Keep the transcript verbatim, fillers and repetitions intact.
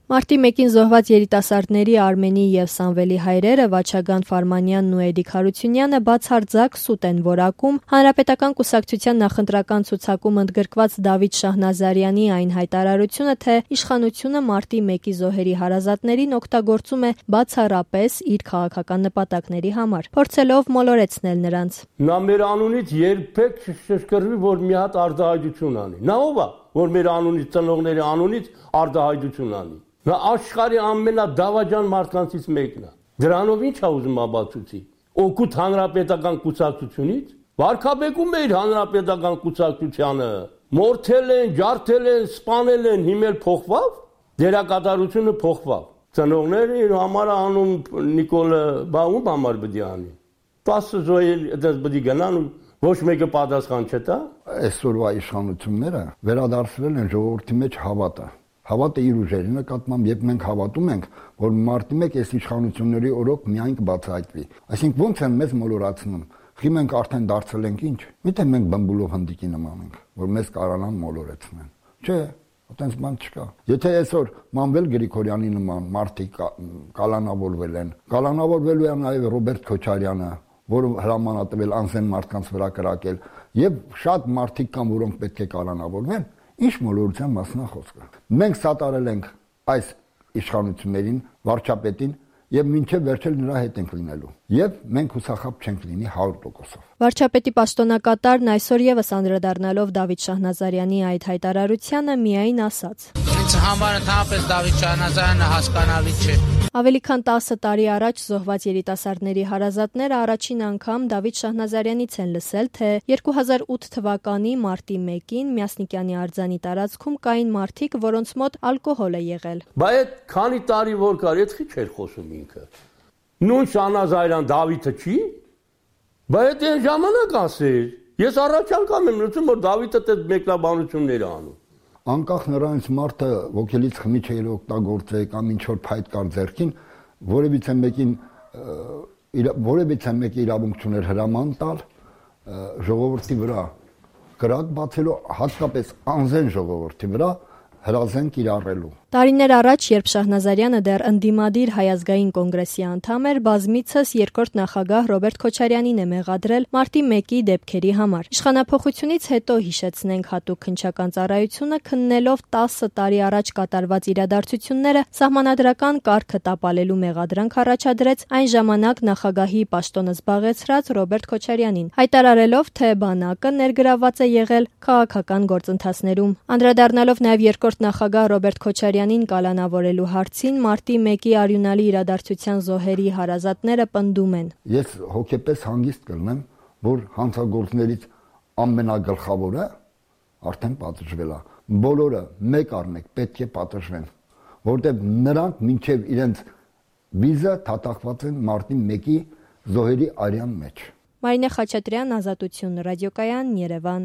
Մարտի մեկին զոհված երիտասարդների Արմենի և Սամվելի հայրերը Վաչագան Ֆարմանյանն ու Էդիկ Հարությունյանը բացարձակ սուտ են որակում Հանրապետական կուսակցության նախընտրական ցուցակում ընդգրկված Դավիթ Շահնազարյանի այն հայտարարությունը, թե իշխանությունը Մարտի մեկի զոհերի հարազատներին օգտագործում է բացառապես իր քաղաքական նպատակների համար, փորձելով մոլորեցնել նրանց։ Նա մեր անունից երբեք չշշկրվի, որ մի հատ արտահայտություն անի։ Նա ով է, որ մեր անունից, ծնողների անունից արտահայտություն անի։ Նա աշխարհի ամենադավաճան մարդկանցից մեկն է։ Դրանով ինչ է ուզում ապացուցի։ Օգուտ հանրապետական կուսակցությունից, վարկաբեկում է իր հանրապետական կուսակցությանը, մորթել են, ջարդել են, սպանել են, հիմել փոխվավ, դերակատարությունը փոխվավ։ Ծնողները իր համար անում Նիկոլը բաղում համար բդի անի։ տասը զոհեր այդպես բդի գնան ու ոչ մեկը պատասխան չտա։ Այսօրվա իշխանությունները վերադարձրել են ժողովրդի մեջ հավատը։ Հավատը իր ուժերի նկատմամբ, երբ մենք հավատում ենք, որ մարտի մեկ այս իշխանությունների օրոք միայն կբացահայտվի։ Այսինքն ո՞նց են մեզ մոլորացնում։ Խի մենք արդեն դարձել ենք ինչ։ Միթե մենք բմբուլով հնդիկի նման ենք, որ մեզ կարողանան մոլորեցնել։ Չէ, այդպես բան չկա։ Եթե այսօր Մանվել Գրիգորյանի նման մարդիկ կալանավորվել են, կալանավորվելու է նաև Ռոբերտ Քոչարյանը, որը հրամանատվել անզեն մարդկանց վրա կրակել, եւ շատ մարդիկ կան, որոնք պետք է կալանավորվեն, ինչ մոլորության մասն է խոսքը։ Մենք սատարել ենք այս իշխանություններին, վարչապետին, եւ մինչեւ վերջել նրա հետ ենք լինելու։ Եվ մենք հուսախաբ չենք լինի հարյուր տոկոսով։ Վարչապետի պաշտոնակատարն այսօր եւս անդրադառնալով Դավիթ Շահնազարյանի այդ հայտարարությանը միայն ասաց. Ինձ համար ընդհանրապես Դավիթ Շահնազարյանը հասկանալի չէ։ Ավելի քան տասը տարի առաջ զոհված երիտասարդների հարազատները առաջին անգամ Դավիթ Շահնազարյանից են լսել, թե երկու հազար ութ թվականի մարտի մեկին Մյասնիկյանի արձանի տարածքում կային մարդիկ, որոնց մոտ ալկոհոլ է եղել։ Բա այդ քանի տարի որ կար, այդ խի չէր խոսում ինքը։ Նույն Շահնազարյան Դավիթը չի։ Բա այդ այն ժամանակ ասեր։ Ես առաջ անգամ եմ լսում, որ Դավիթը այդ մեկնաբանություններ է անում։ Անկախ նրանից մարդը ոգելից խմիչ է օգտագործել կամ ինչ որ փայտ կար ձեռքին, որևիցե մեկին որևիցե մեկի իրավունք չուներ հրաման տալ ժողովրդի վրա կրակ բացելու, հատկապես անզեն ժողովրդի վրա հրազեն կիրառելու։ Տարիներ առաջ, երբ Շահնազարյանը դեռ ընդդիմադիր Հայ ազգային կոնգրեսի անդամ էր, բազմիցս երկրորդ նախագահ Ռոբերտ Քոչարյանին է մեղադրել մարտի մեկի դեպքերի համար։ Իշխանափոխությունից հետո, հիշեցնենք, հատուկ քննչական ծառայությունը քննելով տասը տարի առաջ կատարված իրադարձությունները սահմանադրական կարգը տապալելու մեղադրանք առաջադրեց այն ժամանակ նախագահի պաշտոնը զբաղեցրած Ռոբերտ Քոչարյանին, հայտարարելով, թե բանակը ներգրավված է եղել քաղաքական գործընթացներում։ Անդրադառնալով նաև երկրորդ նախագահ Ռոբերտ Քոչարյանին կալանավորելու հարցին, մարտի մեկի արյունալի իրադարձության զոհերի հարազատները պնդում են. Ես հոգեպես հանգիստ կլինեմ, որ հանցագործներից ամենագլխավորը արդեն պատժվել է։ Բոլորը մեկ առ մեկ պետք է պատժվեն, որտեղ նրանք մինչև իրենց վիզը թաթախված են մարտի մեկի զոհերի արյան մեջ։ Մարինե Խաչատրյան, Ազատություն, ռադիոկայան, Երևան։